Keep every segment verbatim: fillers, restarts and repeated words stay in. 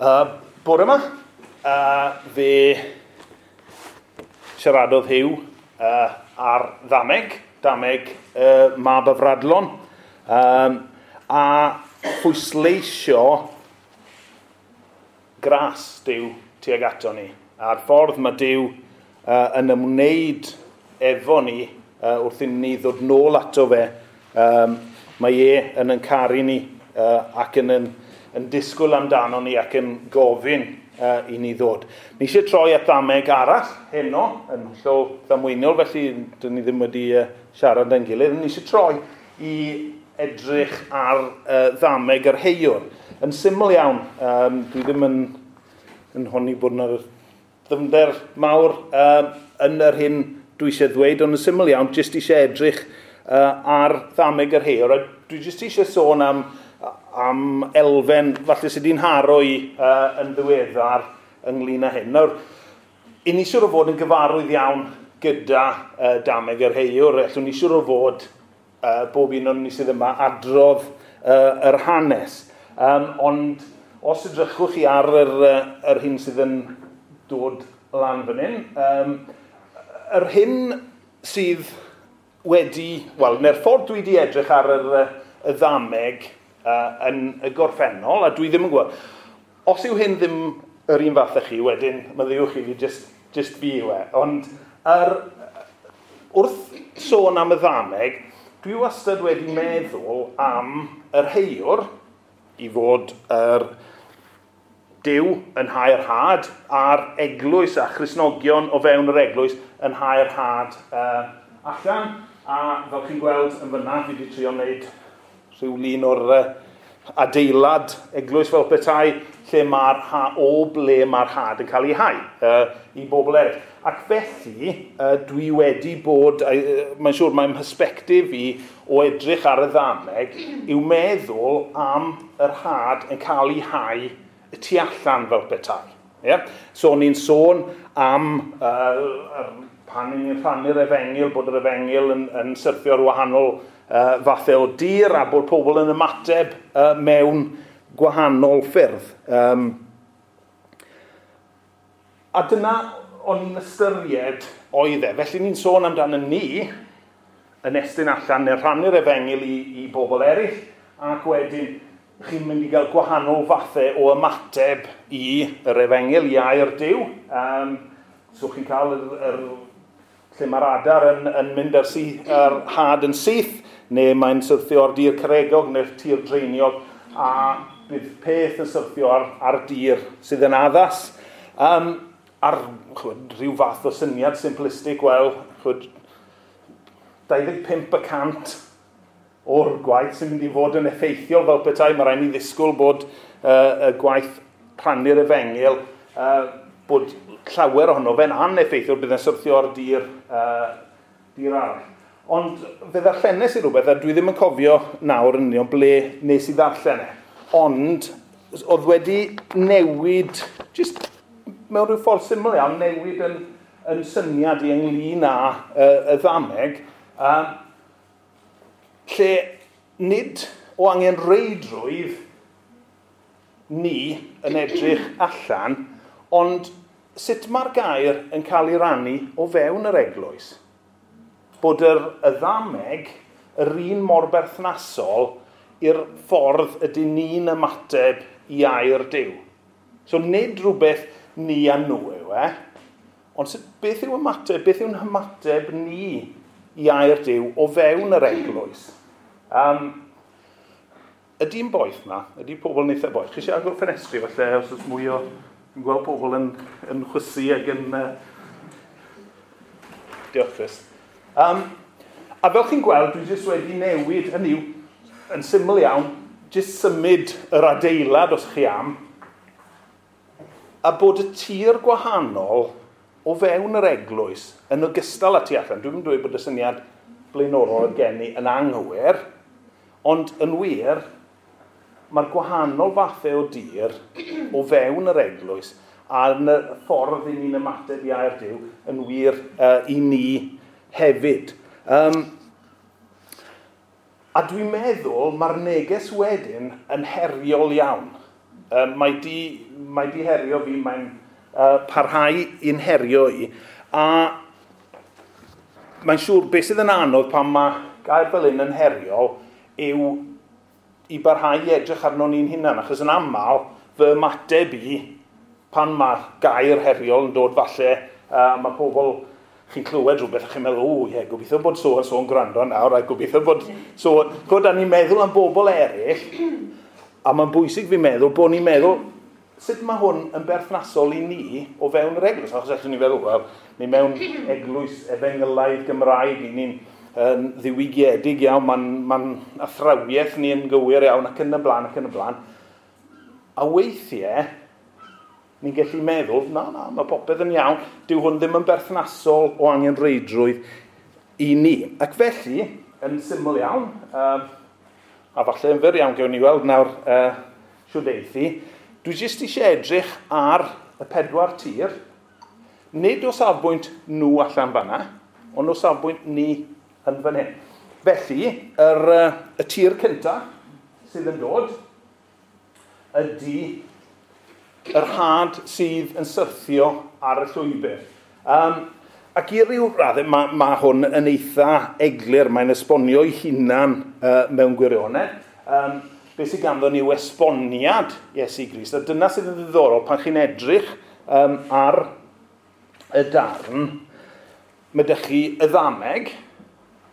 Uh, bore yma, uh, fe siaradodd Huw uh, ar ddameg, dameg uh, mab y Fradlon, um, a phwysleisio gras Duw tuag ato ni. A'r ffordd mae Duw uh, yn ymwneud efo ni uh, wrth i ni ddod nôl ato fe, um, mae e yn yn caru ni uh, ac yn, yn, yn disgwyl amdano ni ac yn gofyn uh, i ni ddod. Ni eisiau troi at ddameg arall heno, yn hollol ddamweiniol, felly dyn ni ddim wedi uh, siarad yn gilydd. Ni eisiau troi i edrych ar uh, ddameg yr heiwr. Yn syml iawn, um, dwi ddim yn, yn honni bod yna ddyfnder mawr uh, yn yr hyn dwi eisiau ddweud, ond yn syml iawn, jyst eisiau edrych uh, ar ddameg yr heiwr. A dwi jyst eisiau sôn am, am elfen falle sydd wedi'n nharo i uh, yn ddiweddar ynglyn â hyn. Nawr, i ni siŵr o fod yn gyfarwydd iawn gyda uh, dameg yr heiwr. Allwn ni siŵr o fod uh, bob un o'n ni sydd yma adrodd uh, yr hanes. Um, ond os edrychwch chi ar yr, uh, yr hyn sydd yn dod lan fan hyn, um, yr hyn sydd wedi, wel, neu'r ffordd dwi wedi edrych ar yr, y ddameg uh, yn y gorffennol, a dwi ddim yn gwybod, os yw hyn ddim yr un fath â chi, wedyn maddeuwch i fi, just, just fi yw e. Ond yr, wrth sôn am y ddameg, dwi wastad wedi meddwl am yr heiwr i fod yr Duw yn hau'r had a'r eglwys a Christnogion o fewn yr eglwys yn hau'r had uh, allan. A fel chi'n gweld yn fyna, fi wedi trio wneud rhyw lun o'r uh, adeilad eglwys fel petai, lle mae'r ha, o ble mae'r had yn cael ei hau uh, i bobl eraill. Ac felly, uh, dwi wedi bod, uh, mae'n siŵr mae'n mhersbectif i o edrych ar y ddameg, yw meddwl am yr had yn cael ei hau y tu allan fel petai. Yeah? So, ni'n sôn am uh, pan ni'n rhannu'r efengyl, bod yr efengyl yn, yn syrthio ar wahanol uh, fathau o dir a bod pobl yn ymateb uh, mewn gwahanol ffyrdd. Um, a dyna o'n i'n ystyried oedd e. Felly ni'n sôn amdano ni yn estyn allan neu rhannu'r efengyl i, i bobl eraill, ac wedyn chi'n mynd i gael gwahanol fathau o ymateb i yr efengyl, i air Duw. Um, so chi'n cael yr, yr, lle mae'r adar yn, yn mynd ar, sy, ar had yn syth, neu mae'n syrthio ar dir caregog neu'r tir dreiniog, a bydd peth yn syrthio ar, ar dir sydd yn addas. Um, ar chwyd, rhyw fath o syniad simplistic, wel, chwyd, dau ddeg pump y cant o'r gwaith sy'n mynd i fod yn effeithiol fel petai. Mae rhaid ni ddisgwyl bod uh, y gwaith rhannu'r efengyl, uh, bod llawer ohono fe'n aneffeithiol, bydd yn syrthio ar dir, uh, dir arall. Ond fe ddarllenes i rhywbeth, a dwi ddim yn cofio nawr yn union ble nes i ddarllen e. Ond oedd wedi newid, just mewn rhyw ffordd syml iawn, newid yn, yn syniad i ynglyn â uh, y ddameg, um, lle nid o angen reidrwydd ni yn edrych allan, ond sut mae'r gair yn cael ei rannu o fewn yr eglwys. Bod yr, y ddameg yr un mor berthnasol i'r ffordd ydyn ni'n ymateb i air Duw. So nid rhywbeth ni a nhw yw e, ond sut, beth yw ymateb, beth yw'n hymateb ni i air Duw o fewn yr eglwys? Um, ydy'n boeth na? Ydy pobl yn eitha boeth? Chi eisiau agor ffenestri falle, os oes mwy o... Dwi'n gweld pobl yn, yn chwysu ac yn... Uh... Diolch, Chris. Um, a fel chi'n gweld, dwi jyst wedi newid, hynny yw, yn syml iawn, jyst symud yr adeilad os chi am, a bod y tir gwahanol o fewn yr eglwys yn ogystal â tu allan. Dwi'n dweud bod y syniad blaenorol oedd gen i yn anghywir, ond yn wir, mae'r gwahanol fathau o dir o fewn yr eglwys a yn y ffordd i ni'n ymateb i air Duw yn wir uh, i ni hefyd. Um, a dwi'n meddwl mae'r neges wedyn yn heriol iawn. Um, mae di, mae di herio fi, mae'n uh, parhau i'n herio i. A mae'n siŵr beth sydd yn anodd pan mae gair fel hyn yn heriol yw i barhau i edrych arno ni'n hunan. Achos yn aml, fy ymateb i pan mae'r gair heriol yn dod falle, uh, mae pobl, chi'n clywed rhywbeth a chi'n meddwl, o ie, gobeithio bod so a so'n gwrando nawr, a gobeithio bod so... Chod, a ni'n meddwl am bobl eraill, a mae'n bwysig fi'n meddwl bod ni'n meddwl, sut mae hwn yn berthnasol i ni o fewn yr eglwys? Achos allwn ni feddwl, wel, ni mewn eglwys efengylaidd Gymraeg, ni'n yn ddiwygiedig iawn, mae'n ma athrawiaeth ni yn gywir iawn, ac yn y blaen, ac yn y blaen. A weithiau, ni'n gallu meddwl, na, na, mae popeth yn iawn, dyw hwn ddim yn berthnasol o angenrheidrwydd i ni. Ac felly, yn syml iawn, uh, a falle yn fyr iawn gewn ni weld nawr uh, shwd eithi, dwi jyst eisiau edrych ar y pedwar tir, nid o safbwynt nhw allan fanna, ond o safbwynt ni yn fan hyn. Felly, yr, uh, y tir cyntaf sydd yn dod ydy yr had sydd yn syrthio ar y llwybr. Um, ac i ryw raddau, mae, ma hwn yn eitha eglur, mae'n esbonio ei hunan uh, mewn gwirionedd. Um, beth sydd ganddo ni yw esboniad Iesu Grist. A dyna sydd yn ddiddorol pan chi'n edrych um, ar y darn, mae dych chi y ddameg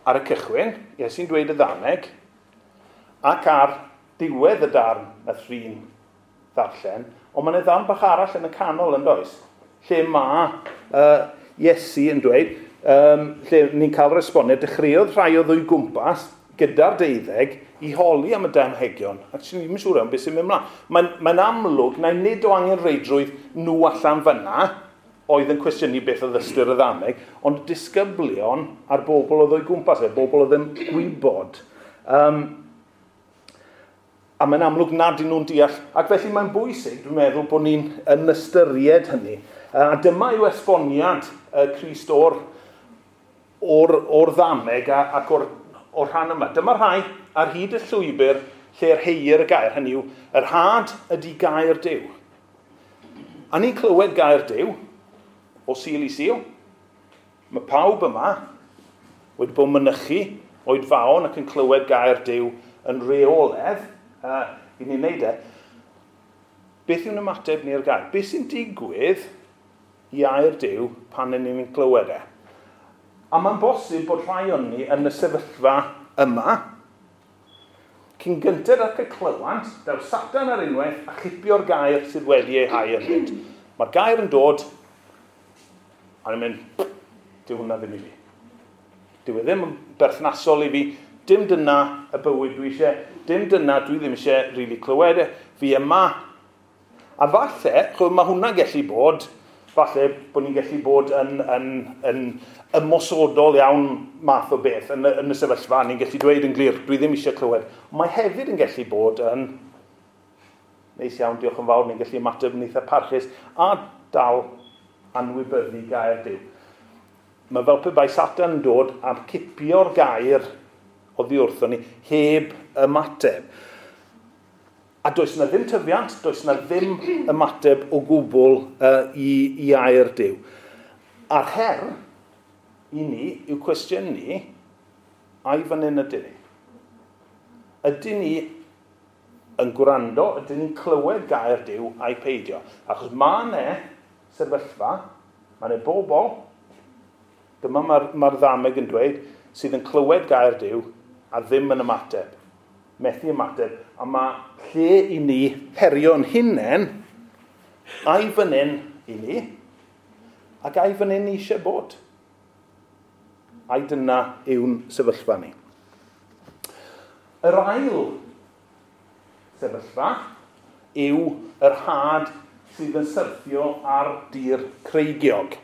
ar y cychwyn, Iesu'n dweud y ddameg, ac ar diwedd y darn nath Rhun ddarllen, ond mae'n ddarn bach arall yn y canol yn does, lle mae uh, Iesu yn dweud, um, lle ni'n cael yr esboniad, dechreuodd rhai o ddwy gwmpas gyda'r deuddeg i holi am y damhegion, ac sy'n ddim yn siŵr am beth sy'n mynd mlaen. Mae'n mae amlwg na nid o angenrheidrwydd nhw allan fyna oedd yn cwestiynu beth oedd ystyr y ddameg, ond disgyblion a'r bobl oedd o'i gwmpas, y bobl oedd yn gwybod. Um, a mae'n amlwg nad ydyn nhw'n deall, ac felly mae'n bwysig, dwi'n meddwl, bod ni'n yn ystyried hynny. A dyma yw esboniad uh, Crist o'r, o'r, o'r ddameg a, ac o'r, o'r rhan yma. Dyma rhai ar hyd y llwybr lle'r heir y gair, hynny yw, yr had ydy gair Duw. A ni'n clywed gair Duw o Sul i Sul. Mae pawb yma wedi bod mynychu oedfaon ac yn clywed gair Duw yn rheoledd, uh, i ni'n neud e. Beth yw'n ymateb ni'r gair? Beth sy'n digwydd i air Duw pan ydyn ni'n clywed e? A mae'n bosib bod rhai o'n ni yn y sefyllfa yma, cyn gynted ac y clywant, daw Satan ar unwaith a chipio'r gair sydd wedi ei hau ynddynt. Mae'r gair yn dod, a ni'n mynd, dyw hwnna ddim i fi. Dyw e ddim yn berthnasol i fi, dim dyna y bywyd dwi eisiau, dim dyna dwi ddim eisiau rili clywed e, fi yma. A falle, chwbod, mae hwnna'n gallu bod, falle bod ni'n gallu bod yn, yn, yn ymosodol iawn math o beth yn, yn y sefyllfa, ni'n gallu dweud yn glir, dwi ddim eisiau clywed. Mae hefyd yn gallu bod yn neis iawn, diolch yn fawr, ni'n gallu ymateb yn eitha parchus a dal anwybyddu gair Duw. Mae fel pe bai Satan yn dod a cipio'r gair oddi wrthon ni heb ymateb. A does na ddim tyfiant, does na ddim ymateb o gwbl uh, i, i air Duw. A'r her i ni yw cwestiynu, ai fan hyn ydyn ni? Ydyn ni yn gwrando, ydyn ni'n clywed gair Duw a'i peidio? Achos mae yna sefyllfa, mae yna bobl, dyma mae'r ma ddameg yn dweud, sydd yn clywed gair Duw a ddim yn ymateb. Methu ymateb, a mae lle i ni herio'n hunain, ai fan hyn i ni, ac ai fan hyn ni eisiau bod. Ai dyna yw'n sefyllfa ni. Yr ail sefyllfa yw yr had sydd yn syrthio ar dir creigiog.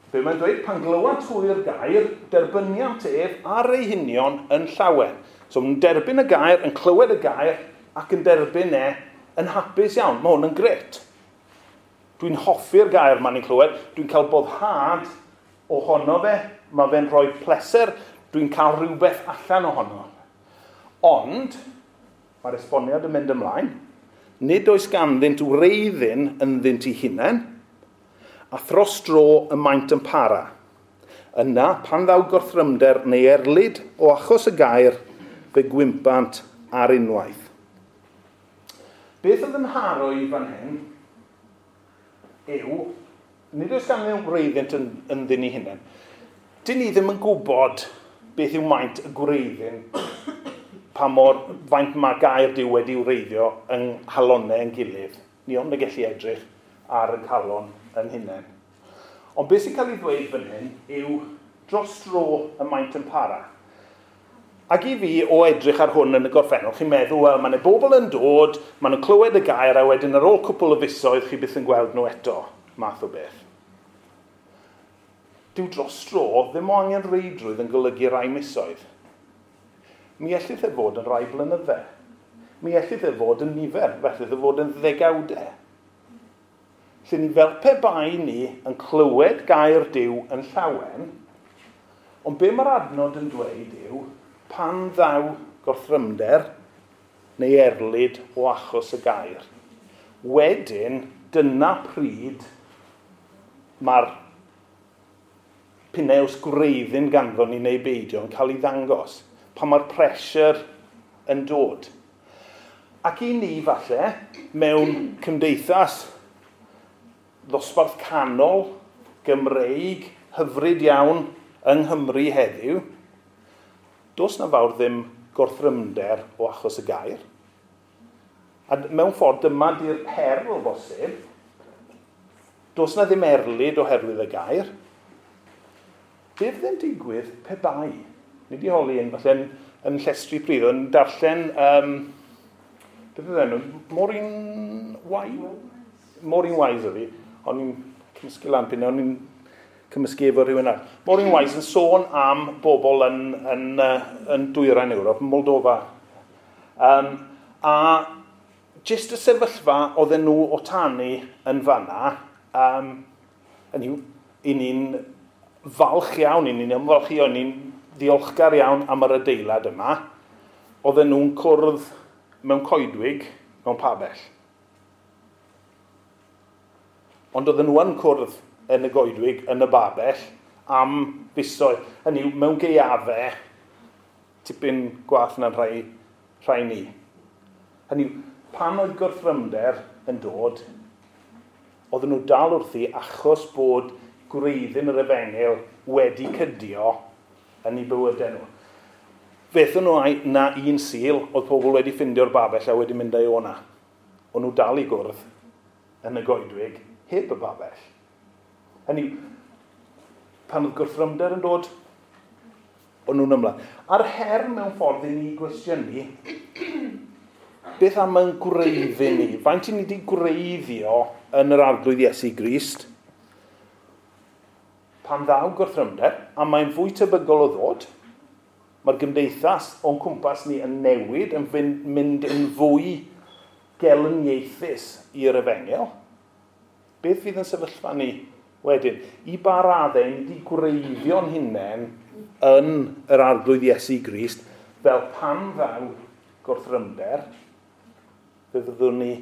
Be mae'n dweud, pan glywant hwy'r gair, derbyniant ef ar ei hunion yn llawen. So mae'n derbyn y gair, yn clywed y gair, ac yn derbyn e yn hapus iawn. Mae hwn yn gret. Dwi'n hoffi'r gair ma'n i'n clywed, dwi'n cael boddhad ohono fe, mae fe'n rhoi pleser, dwi'n cael rhywbeth allan ohono. Ond, Mae'r esboniad yn mynd ymlaen. Nid oes ganddynt wreiddyn ynddynt eu hunain, a thros dro y maent yn para. Yna, pan ddaw gorthrymder neu erlid o achos y gair, fe gwympant ar unwaith. Beth oedd yn nharo i fan hyn yw, nid oes ganddyn wreiddynt yn, ynddyn eu hunain. Dyn ni ddim yn gwybod beth yw maint y gwreiddyn, pa mor faint mae gair Duw wedi wreiddio yng nghalonnau yn gilydd. Ni ond yn gallu edrych ar y calon yn hunain. Ond beth sy'n cael ei ddweud fan hyn yw dros dro y maint yn para. Ac i fi, o edrych ar hwn yn y gorffennol, chi'n meddwl, wel, mae yna bobl yn dod, maen nhw'n clywed y gair, a wedyn ar ôl cwpl o fisoedd, chi byth yn gweld nhw eto, math o beth. Dyw dros dro ddim o angen reidrwydd yn golygu rai misoedd. Mi ellith e fod yn rai blynydde. Mi ellith e fod yn nifer, felly e fod yn ddegawdau. Lle ni fel pe bai ni yn clywed gair Duw yn llawen, ond be mae'r adnod yn dweud yw, pan ddaw gorthrymder neu erlid o achos y gair. Wedyn, dyna pryd mae'r pinews gwreiddyn ganddo ni neu beidio yn cael ei ddangos, pan mae'r pressure yn dod. Ac i ni, falle, mewn cymdeithas ddosbarth canol, Gymreig, hyfryd iawn yng Nghymru heddiw, does na fawr ddim gorthrymder o achos y gair. A mewn ffordd dyma di'r her o bosib. Does na ddim erlid oherwydd y gair. Be fydd yn digwydd pe bai? Ni wedi holi un, falle yn, yn llestri pridd, yn darllen, um, beth oedd enw? Maureen Wise? Maureen Wise oedd hi. O'n i'n cymysgu lan pyn, o'n i'n cymysgu efo rhywun arall. Maureen Wise yn sôn am bobl yn, yn, yn dwyrain Ewrop, yn Moldova. Um, a jyst y sefyllfa oedden nhw o tanu yn fanna, um, yn yw, i ni'n falch iawn, i ni'n ymfalchio, i ni'n ddiolchgar iawn am yr adeilad yma, oedden nhw'n cwrdd mewn coedwig, mewn pabell. Ond oedden nhw yn cwrdd yn y goedwig, yn y babell, am fisoedd. Hynny yw, mewn gaeafau, tipyn gwath na'n rhai, rhai ni. Hynny yw, pan oedd gorthrymder yn dod, oedden nhw dal wrthi achos bod gwreiddyn yr efengyl wedi cydio yn eu bywydau nhw. Fethon nhw na un Sul, oedd pobl wedi ffindio'r babell a wedi mynd â'i o'na. O'n nhw dal i gwrdd yn y goedwig, heb y babell. Hynny, pan oedd gwrthrymder yn dod, o'n nhw'n ymlaen. A'r her mewn ffordd i ni gwestiynu, beth am yn gwreiddyn ni? Faint i ni wedi gwreiddio yn yr Arglwydd Iesu Grist? Pan ddaw gwrthrymder, a mae'n fwy tebygol o ddod, mae'r gymdeithas o'n cwmpas ni yn newid, yn mynd yn fwy gelyniaethus i'r efengyl. Beth fydd yn sefyllfa ni wedyn? I ba raddau ni wedi gwreiddio'n hunain yn yr Arglwydd Iesu Grist, fel pan ddaw gwrthrymder, fe fyddwn ni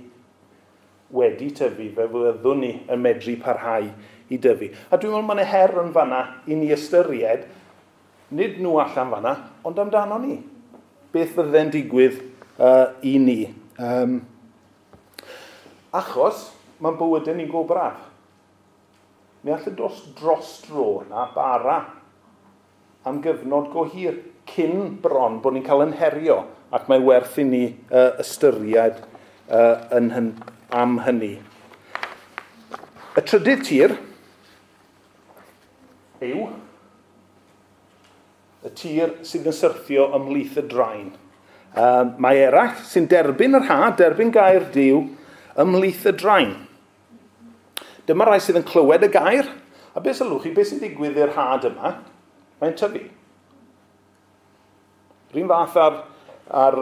wedi tyfu, fe fyddwn ni yn medru parhau i dyfu. A dwi'n meddwl mae'n her yn fanna i ni ystyried, nid nhw allan fanna, ond amdano ni. Beth fydde'n digwydd uh, i ni? Um, achos mae'n bywydau ni'n go braf. Mi all y dos dros dro na bara am gyfnod go hir cyn bron bod ni'n cael yn herio, ac mae werth i ni uh, ystyried uh, yn hyn, am hynny. Y trydydd tir yw y tir sydd yn syrthio ymhlith y draen. Um, mae eraill sy'n derbyn yr had, derbyn gair Duw, ymhlith y draen. Dyma rai sydd yn clywed y gair, a beth sylwch chi, beth sy'n digwydd i'r had yma? Mae'n tyfu. R'un fath ar, ar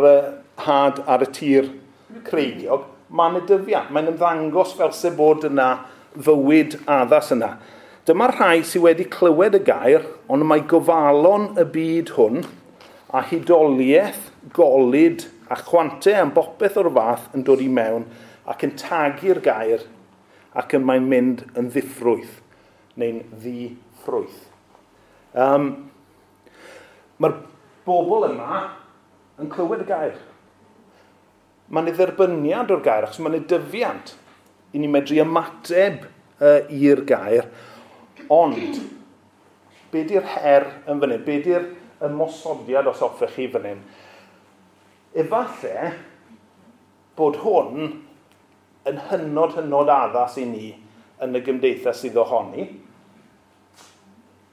had ar y tir creigiog, mae'n y dyfiant, mae'n ymddangos fel se bod yna fywyd addas yna. Dyma'r rhai sydd wedi clywed y gair, ond mae gofalon y byd hwn a hudoliaeth golud a chwante am bopeth o'r fath yn dod i mewn ac yn tagu'r gair ac yn mae'n mynd yn ddiffrwyth neu'n ddi-ffrwyth. Um, Mae'r bobl yma yn clywed y gair. Mae'n ei dderbyniad o'r gair, achos mae'n ei dyfiant i ni medru ymateb uh, i'r gair. Ond, be di'r her yn fan hyn? Be di'r ymosodiad os hoffech chi fan hyn? Efallai bod hwn yn hynod hynod addas i ni yn y gymdeithas sydd ohoni.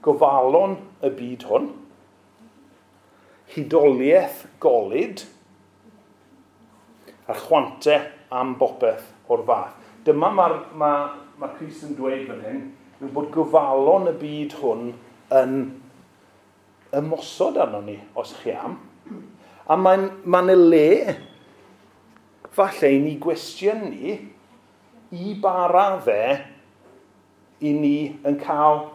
Gofalon y byd hwn. Hudoliaeth golud. A chwante am bopeth o'r fath. Dyma mae'r ma, ma Crist yn dweud fan hyn, yw bod gofalon y byd hwn yn ymosod arno ni, os chi am. A mae'n ma le, falle, i ni gwestiynu i ba raddau i ni yn cael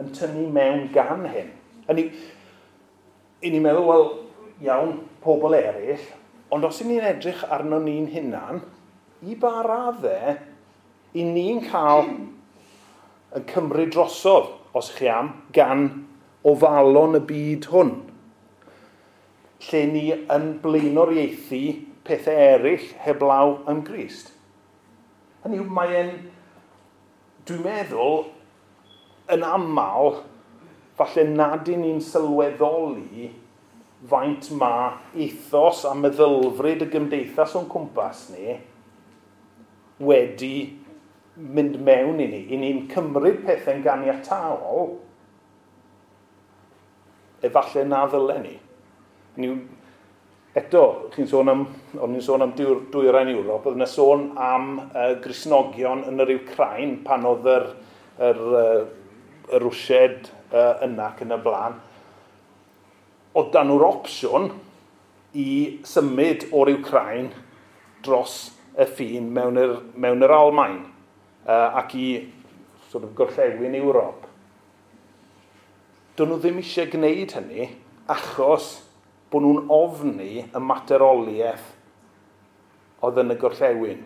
yn tynnu mewn gan hyn. A ni, i ni'n meddwl, wel, iawn, pobl eraill, ond os i ni'n edrych arno ni'n hunan, i ba raddau i ni'n cael yn cymryd drosodd, os chi am, gan ofalon y byd hwn, lle ni yn blaenoriaethu pethau eraill heblaw am Grist. Hynny yw, mae'n, dwi'n meddwl, yn aml, falle nad i ni'n sylweddoli faint ma ethos a meddylfryd y gymdeithas o'n cwmpas ni wedi mynd mewn i ni. I ni'n cymryd pethau'n ganiataol, efallai na ddylen ni. Ni eto, chi'n sôn am, o'n i'n sôn am dwyrain Ewrop, oedd yna sôn am uh, Gristnogion yn yr Wcrain pan oedd yr, yr, yr, y Rwsied uh, yna ac yn y blaen. Oedd dan nhw'r opsiwn i symud o'r Wcrain dros y ffin mewn yr, mewn yr Almaen uh, ac i sort of, gorllewin Ewrop. Do'n nhw ddim eisiau gwneud hynny achos bod nhw'n ofni y materoliaeth oedd yn y gorllewin.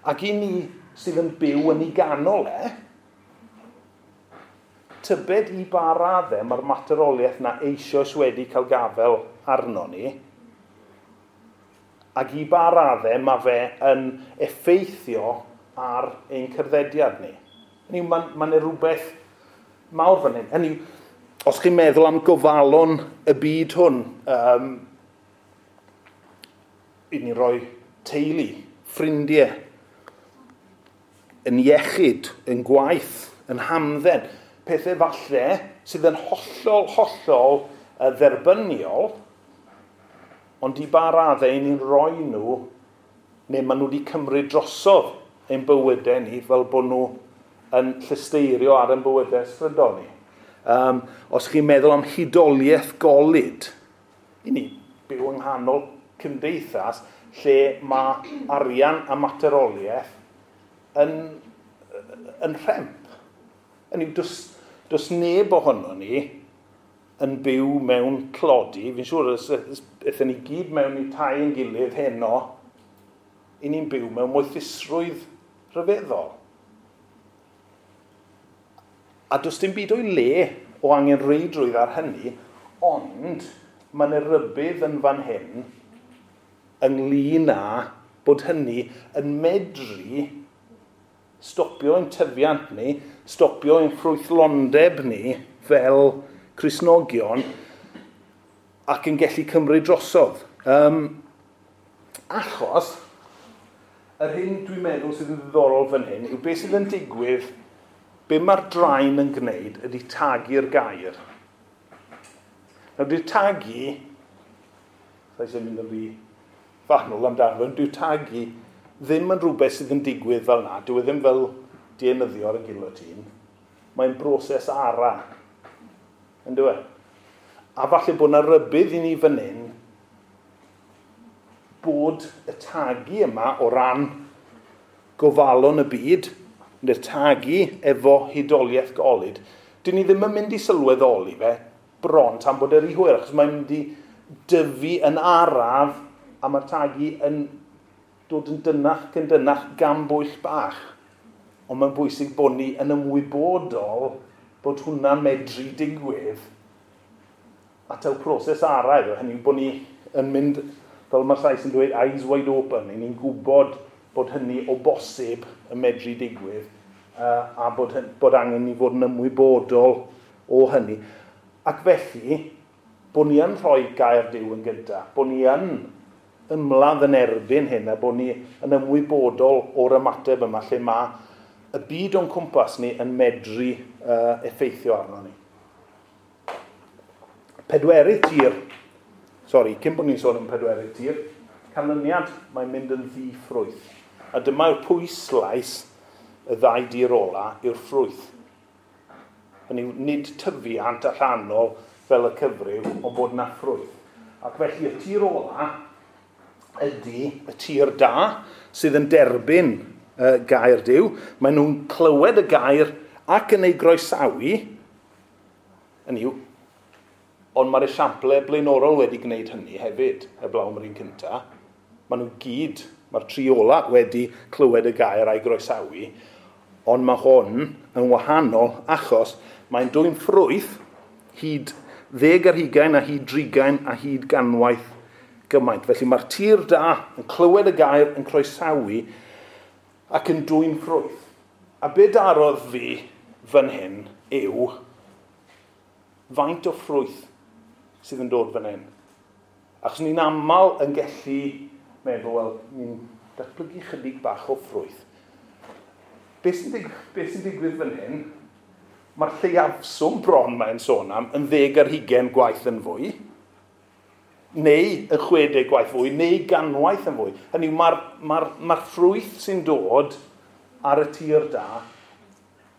Ac i ni sydd yn byw yn ei ganol e, tybed i ba raddau mae'r materoliaeth na eisoes wedi cael gafel arno ni, ac i ba raddau mae fe yn effeithio ar ein cerddediad ni. Hynny yw, mae'n ma rhywbeth mawr fan hyn. Hynny yw, os chi'n meddwl am gofalon y byd hwn, um, i ni roi teulu, ffrindiau, yn iechyd, yn gwaith, yn hamdden, pethau falle sydd yn hollol, hollol dderbyniol, ond i ba raddau i ni'n rhoi nhw, neu maen nhw wedi cymryd drosodd ein bywydau ni fel bod nhw yn llesteirio ar ein bywydau ysbrydol ni. Um, os chi'n meddwl am hudoliaeth golud, i ni byw yng nghanol cymdeithas lle mae arian a materoliaeth yn, yn rhemp. Hynny yw, does, does neb ohono ni yn byw mewn tlodi. Fi'n siŵr, aethon ni gyd mewn i tai yn gilydd heno, i ni'n byw mewn moethusrwydd rhyfeddol. A does dim byd o'i le o angenrheidrwydd ar hynny, ond mae yna rybudd yn fan hyn ynglyn â bod hynny yn medru stopio ein tyfiant ni, stopio ein ffrwythlondeb ni fel Cristnogion ac yn gallu cymryd drosodd. Um, achos, yr hyn dwi'n meddwl sydd yn ddiddorol fan hyn yw beth sydd yn digwydd, be mae'r draen yn gwneud ydy tagu'r gair. Nawr, dy'r tagu, sa'i eisiau mynd yn rhy fanwl amdano fe, dy'r tagu ddim yn rhywbeth sydd yn digwydd fel na. Dyw e ddim fel dienyddio ar y guillotine. Mae'n broses ara. Yn dyw e? A falle bod yna rybudd i ni fan hyn bod y tagu yma o ran gofalon y byd, neu'r tagu efo hudoliaeth golud, dyn ni ddim yn mynd i sylweddoli fe bron tan bod yr i hwyr, achos mae'n mynd i dyfu yn araf a mae'r tagu yn dod yn dynach ac yn dynach gan bwyll bach. Ond mae'n bwysig bod ni yn ymwybodol bod hwnna'n medru digwydd a taw proses araf. Hynny yw bod ni yn mynd, fel mae'r Sais yn dweud, eyes wide open. Ni'n gwybod bod hynny o bosib yn medru digwydd uh, a bod, bod angen ni fod yn ymwybodol o hynny. Ac felly, bod ni yn rhoi gair Duw yn gyda, bod ni yn ymladd yn erbyn hyn a bod ni yn ymwybodol o'r ymateb yma lle mae y byd o'n cwmpas ni yn medru uh, effeithio arno ni. Pedwerydd tir, sori, cyn bod ni'n sôn am pedwerydd tir, canlyniad mae'n mynd yn ddi-ffrwyth. A dyma yw'r pwyslais y ddau dir ola yw'r ffrwyth. Hynny yw, nid tyfiant allanol fel y cyfryw, ond bod yna ffrwyth. Ac felly y tir ola ydy y tir da sydd yn derbyn uh, gair Duw. Maen nhw'n clywed y gair ac yn ei groesawu. Hynny yw, ond mae'r esiample blaenorol wedi gwneud hynny hefyd, heblaw am yr un cyntaf. Maen nhw gyd, mae'r tri ola wedi clywed y gair a'i groesawu, ond mae hwn yn wahanol achos mae'n dwyn ffrwyth hyd ddeg ar hugain a hyd drigain a hyd ganwaith gymaint. Felly mae'r tir da yn clywed y gair, yn croesawu ac yn dwyn ffrwyth. A be darodd fi fan hyn yw faint o ffrwyth sydd yn dod fan hyn. Achos ni'n aml yn gallu meddwl, wel, ni'n datblygu chydig bach o ffrwyth. Be sy'n dig- be sy'n digwydd fan hyn, mae'r lleiafswm bron mae'n sôn am yn ddeg ar hugain gwaith yn fwy, neu yn chwedeg gwaith fwy, neu ganwaith yn fwy. Hynny yw, mae'r mae'r, mae'r ffrwyth sy'n dod ar y tir da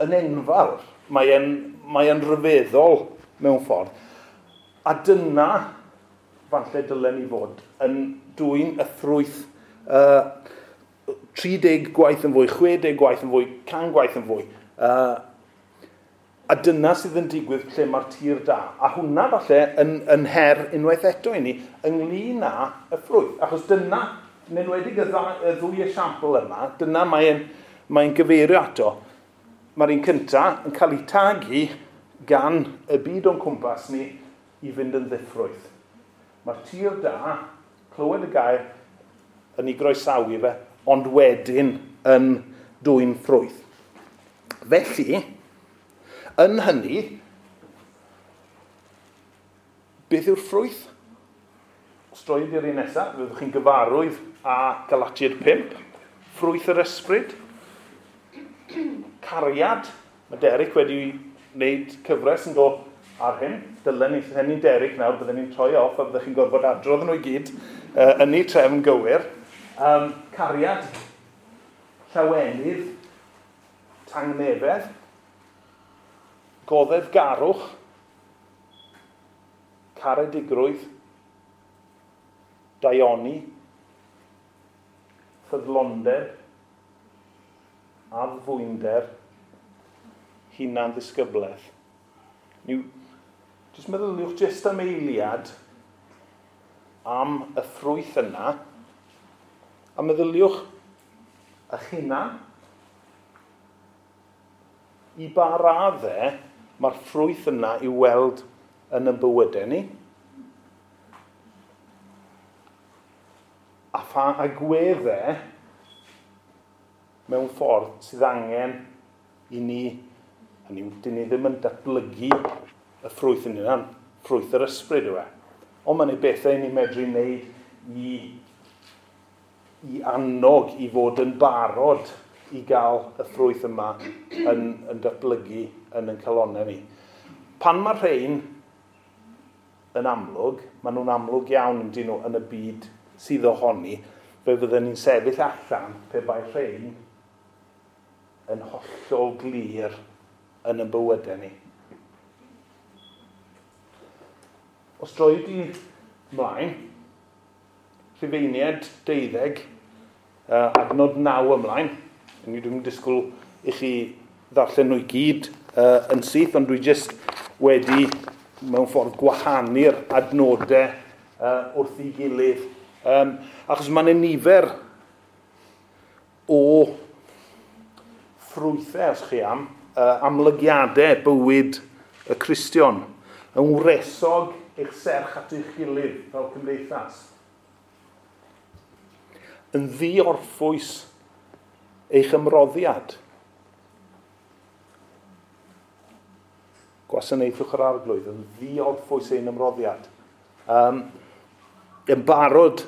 yn enfawr. Mae'n mae yn rhyfeddol mewn ffordd. A dyna, falle dylen ni fod, yn dwyn y ffrwyth uh, tri deg gwaith yn fwy, chwe deg gwaith yn fwy, can gwaith yn fwy. Uh, a dyna sydd yn digwydd lle mae'r tir da. A hwnna falle yn, yn her unwaith eto i ni ynglyn â y ffrwyth. Achos dyna, yn enwedig y, dda, y ddwy esiampl yma, dyna mae'n mae gyfeirio ato. Mae'r un cyntaf yn cael ei tagu gan y byd o'n cwmpas ni i fynd yn ddiffrwyth. Mae'r tir da, clywed y gair, yn ei groesawu fe, ond wedyn yn dwyn ffrwyth. Felly, yn hynny, beth yw'r ffrwyth? Os droed i'r un nesaf, fyddwch chi'n gyfarwydd â Galatiaid pump, ffrwyth yr ysbryd, cariad. Mae Derek wedi wneud cyfres yn dod ar hyn. Dylen ni, ni'n Derek nawr, byddwn ni'n troi off a byddwch chi'n gorfod adrodd nhw i gyd uh, yn ei trefn gywir. Um, cariad, llawenydd, tangnefedd, goddefgarwch, caredigrwydd, daioni, ffyddlondeb, addfwynder, hunan ddisgyblaeth. Niw, jyst meddyliwch jyst am eiliad am y ffrwyth yna, a meddyliwch eich hunan. I ba raddau mae'r ffrwyth yna i'w weld yn ein bywydau ni. A pha agweddau mewn ffordd sydd angen i ni, hynny yw, dyn ni ddim yn datblygu y ffrwyth yn hunan, ffrwyth yr ysbryd yw e. Ond mae'n ei bethau ni medru wneud i, i annog i fod yn barod i gael y ffrwyth yma yn, yn datblygu yn ein calonnau ni. Pan mae rhain yn amlwg, maen nhw'n amlwg iawn yn dyn nhw yn y byd sydd ohoni, fe fydden ni'n sefyll allan pe bai rhain yn hollol glir yn ein bywydau ni. Os droi di ymlaen, Rhufeiniaid deuddeg, uh, adnod naw ymlaen. Ni dwi'n disgwyl i chi ddarllen nhw i gyd uh, yn syth, ond dwi jyst wedi mewn ffordd gwahanu'r adnodau uh, wrth ei gilydd. Um, achos mae'n nifer o ffrwythau, os chi am, uh, amlygiadau bywyd y Cristion, yn wresog eich serch at eich gilydd fel cymdeithas. Yn ddiorffwys eich ymroddiad. Gwasanaethwch yr Arglwydd yn ddiorffwys ein ymroddiad. Um, yn barod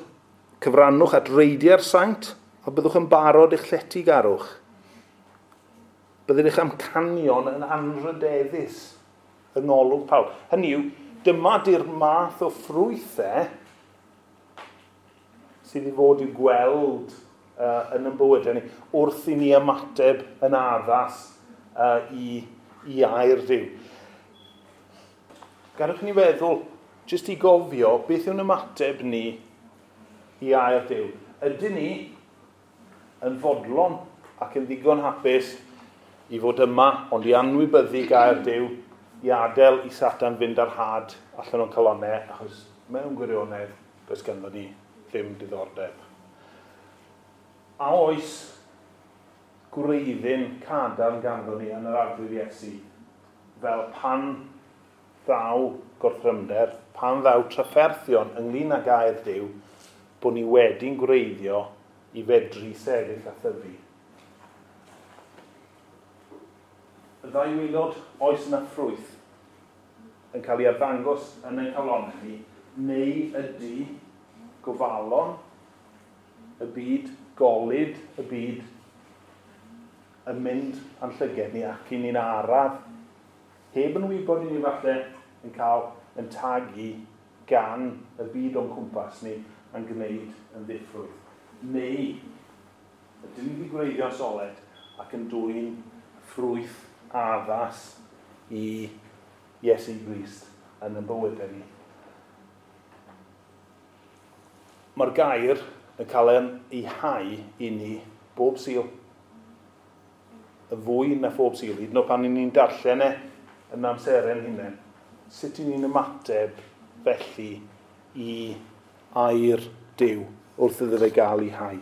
cyfrannwch at reidiau'r saint, a byddwch yn barod eich lletygarwch. Byddwn eich amcanion yn anrydeddus yng ngolwg pawb. Hynny yw, dyma di'r math o ffrwythau sydd i fod i'w gweld uh, yn ein bywydau ni, wrth i ni ymateb yn addas uh, i, i air Duw. Gadewch ni feddwl, jyst i gofio, beth yw'n ymateb ni i air Duw. Ydyn ni yn fodlon ac yn ddigon hapus i fod yma, ond i anwybyddu gair Duw, i adael i Satan fynd ar had allan o'n calonnau, achos mewn gwirionedd, does ganddo ni ddim diddordeb. A oes gwreiddyn cadarn ganddo ni yn yr Arglwydd Iesu, fel pan ddaw gorthrymder, pan ddaw trafferthion ynglyn â gair Duw, bod ni wedi'n gwreiddio i fedru sefyll a thyfu. Y ddau waelod, oes yna ffrwyth yn cael ei arddangos yn ein calonnau ni, neu ydy gofalon y byd, golud y byd yn mynd a'n llyged ni ac i ni'n araf, heb yn wybod i ni falle yn cael yn tagu gan y byd o'n cwmpas ni yn gwneud yn ddiffrwyth. Neu ydyn ni wedi gwreiddio'n soled ac yn dwyn ffrwyth addas i Iesu Grist yn y bywydau ni. Mae'r gair yn cael ei hau i ni bob Sul. Y fwy na phob Sul, hyd yn oed pan ni'n darllen e yn amseren hunain. Sut i ni'n ymateb felly i air Duw wrth iddo fe gael ei hau.